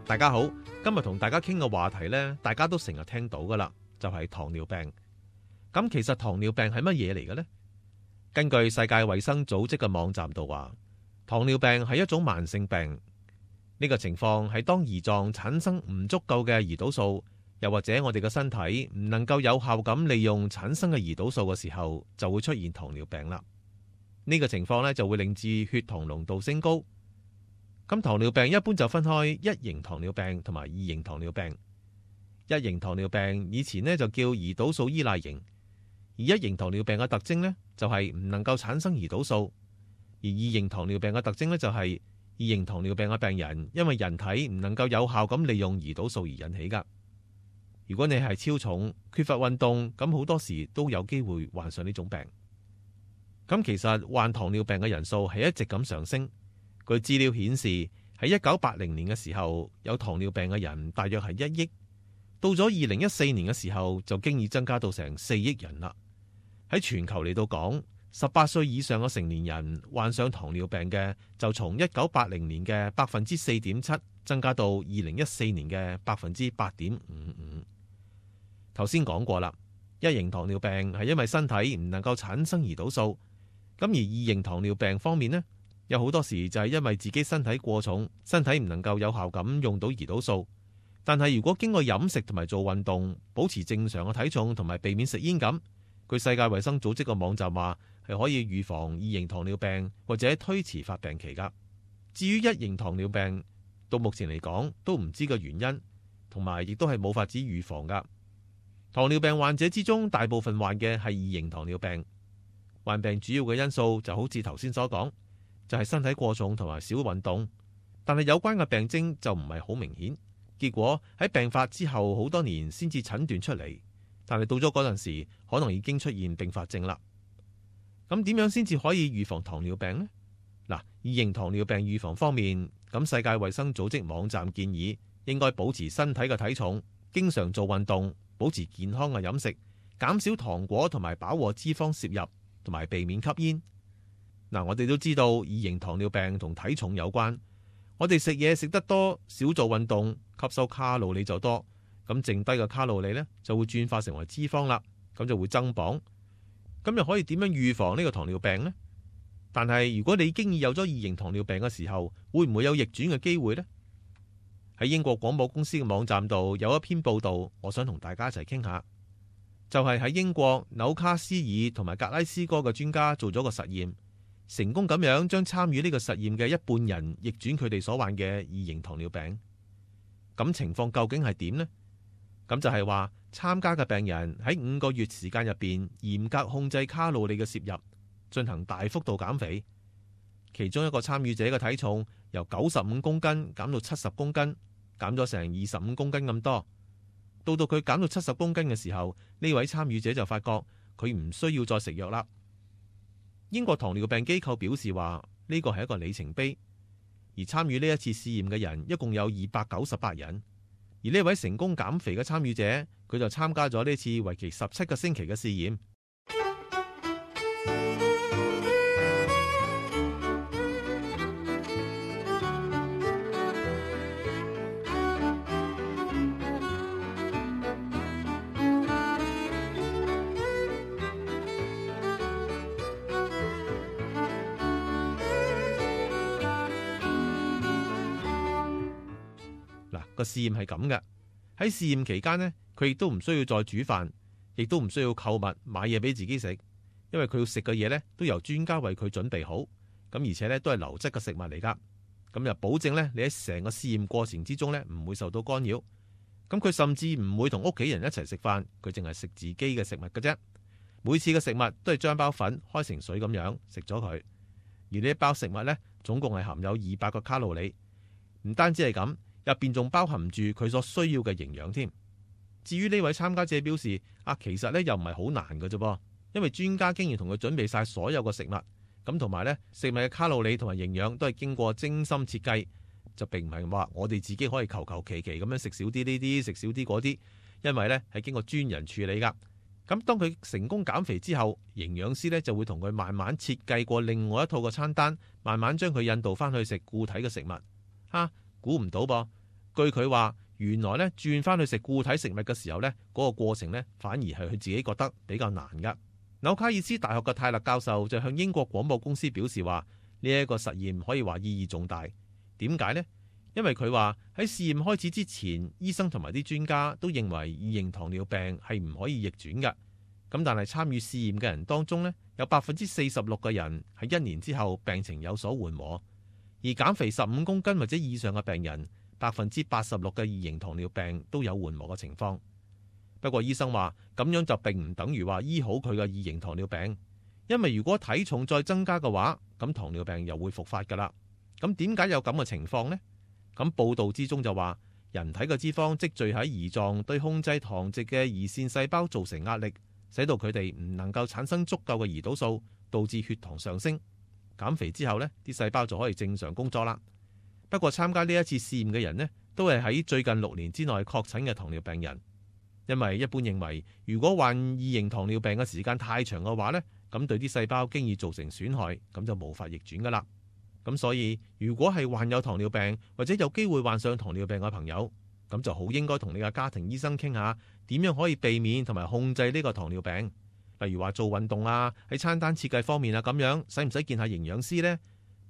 大家好，今日同大家傾嘅話題呢，大家都成日聽到噶啦，就係糖尿病。咁其實糖尿病係乜嘢嚟嘅呢？根據世界衛生組織嘅網站度話，糖尿病係一種慢性病。呢個情況係當胰臟產生唔足夠嘅胰島素，又或者我哋嘅身體唔能夠有效咁利用產生嘅胰島素嘅時候，就會出現糖尿病啦。呢個情況呢，就會令至血糖濃度升高。咁糖尿病一般就分開一型糖尿病同埋二型糖尿病。一型糖尿病以前呢就叫胰島素依賴型，而一型糖尿病嘅特徵呢，就係唔能夠產生胰島素，而二型糖尿病嘅特徵呢，就係二型糖尿病嘅病人因為人體唔能夠有效咁利用胰島素而引起噶。如果你係超重、缺乏運動，咁好多時都有機會患上呢種病。咁其實患糖尿病嘅人數係一直咁上升。據資料顯示，喺1980年嘅時候，有糖尿病嘅人大約係1億，到咗2014年嘅時候就經已增加到成4億人啦。喺全球嚟到講，18歲以上嘅成年人患上糖尿病嘅就從1980年嘅4.7%增加到2014年嘅8.55%。頭先講過啦，一型糖尿病係因為身體唔能夠產生胰島素，咁而二型糖尿病方面呢，有好多時就係因為自己身體過重，身體唔能夠有效咁用到胰島素。但係如果經過飲食同埋做運動，保持正常嘅體重同埋避免食煙咁，據世界衛生組織嘅網站話係可以預防二型糖尿病或者推遲發病期噶。至於一型糖尿病，到目前嚟講都唔知個原因，同埋亦都係冇法子預防噶。糖尿病患者之中，大部分患嘅係二型糖尿病。患病主要嘅因素就好似頭先所講，就係身體過重同埋少運動，但係有關嘅病徵就唔係好明顯。結果喺病發之後好多年先至診斷出嚟，但係到咗嗰陣時，可能已經出現併發症啦。咁點樣先至可以預防糖尿病呢？嗱，二型糖尿病預防方面，咁世界衛生組織網站建議應該保持身體嘅體重，經常做運動，保持健康嘅飲食，減少糖果同埋飽和脂肪攝入，同埋避免吸煙。嗱，我哋都知道二型糖尿病同體重有關。我哋食嘢食得多，少做運動，吸收卡路里就多，咁剩低嘅卡路里呢，就會轉化成為脂肪啦，咁就會增磅。咁又可以點樣預防呢個糖尿病呢？但係如果你已經有咗二型糖尿病嘅時候，會唔會有逆轉嘅機會呢？喺英國廣播公司嘅網站度有一篇報道，我想同大家一齊傾下。就係喺英國紐卡斯爾同埋格拉斯哥嘅專家做咗個實驗，成功咁樣將參與呢個實驗嘅一半人逆轉佢哋所患嘅二型糖尿病。咁情況究竟係點呢？咁就係話參加嘅病人喺5個月時間入邊嚴格控制卡路里嘅攝入，進行大幅度減肥。其中一個參與者嘅體重由95公斤減到70公斤，減咗成25公斤咁多。到佢減到70公斤嘅時候，呢位參與者就發覺佢唔需要再食藥啦。英國糖尿病機構表示話呢個係一個里程碑，而參與呢一次試驗嘅人一共有298人，而呢位成功減肥嘅參與者，佢就參加咗呢次為期17個星期嘅試驗。個試驗係咁嘅，喺試驗期間呢，佢亦都唔需要再煮飯，亦都唔需要購物買嘢俾自己食，因為佢要食嘅嘢呢都由專家為佢準備好，咁而且呢都係流質嘅食物嚟噶，咁就保證呢，你喺成個試驗過程之中呢唔會受到干擾。咁佢甚至唔會同屋企人一齊食飯，佢淨係食自己嘅食物嘅啫。每次嘅食物都係將包粉開成水咁樣食咗佢，而呢一包食物呢，總共係含有200個卡路里，唔單止係咁。入邊仲包含住佢所需要嘅營養添。至於呢位參加者表示，其實呢又唔係好難嘅啫噃，因為專家經已同佢準備晒所有嘅食物，咁同埋呢食物嘅卡路里同埋營養都係經過精心設計，就並唔係話我哋自己可以求求其其咁樣食少啲呢啲，食少啲嗰啲，因為呢係經過專人處理噶。咁當佢成功減肥之後，營養師呢就會同佢慢慢設計過另外一套嘅餐單，慢慢將佢引導翻去食固體嘅食物。估唔到噃，據佢話，原來咧轉翻去食固體食物嘅時候咧，嗰個過程咧反而係佢自己覺得比較難噶。紐卡爾斯大學嘅泰勒教授就向英國廣播公司表示話，呢一個實驗可以話意義重大。點解呢？因為佢話喺試驗開始之前，醫生同埋啲專家都認為二型糖尿病係唔可以逆轉嘅。咁但係參與試驗嘅人當中呢，有46%嘅人喺1年之後病情有所緩和，而減肥15公斤或者以上嘅病人，86%嘅二型糖尿病都有緩和嘅情況。不過醫生話咁樣就並唔等於話醫好佢嘅二型糖尿病，因為如果體重再增加嘅話，咁糖尿病又會復發噶啦。咁點解有咁嘅情況呢？咁報道之中就話，人體嘅脂肪積聚喺胰臟，對控制糖值嘅胰腺細胞造成壓力，使到佢哋唔能夠產生足夠嘅胰島素，導致血糖上升。減肥之後呢，啲細胞就可以正常工作啦。不過參加呢一次試驗嘅人呢，都係喺最近6年之內確診嘅糖尿病人，因為一般認為如果患二型糖尿病嘅時間太長嘅話呢，咁對啲細胞經已造成損害，咁就無法逆轉噶啦。咁所以如果係患有糖尿病或者有機會患上糖尿病嘅朋友，咁就好應該同你嘅家庭醫生傾下點樣可以避免同埋控制呢個糖尿病。例如話做運動啊，喺餐單設計方面啊，咁樣使唔使見下營養師呢？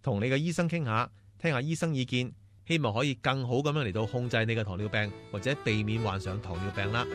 同你嘅醫生傾下，聽下醫生意見，希望可以更好咁樣嚟到控制你嘅糖尿病或者避免患上糖尿病啦。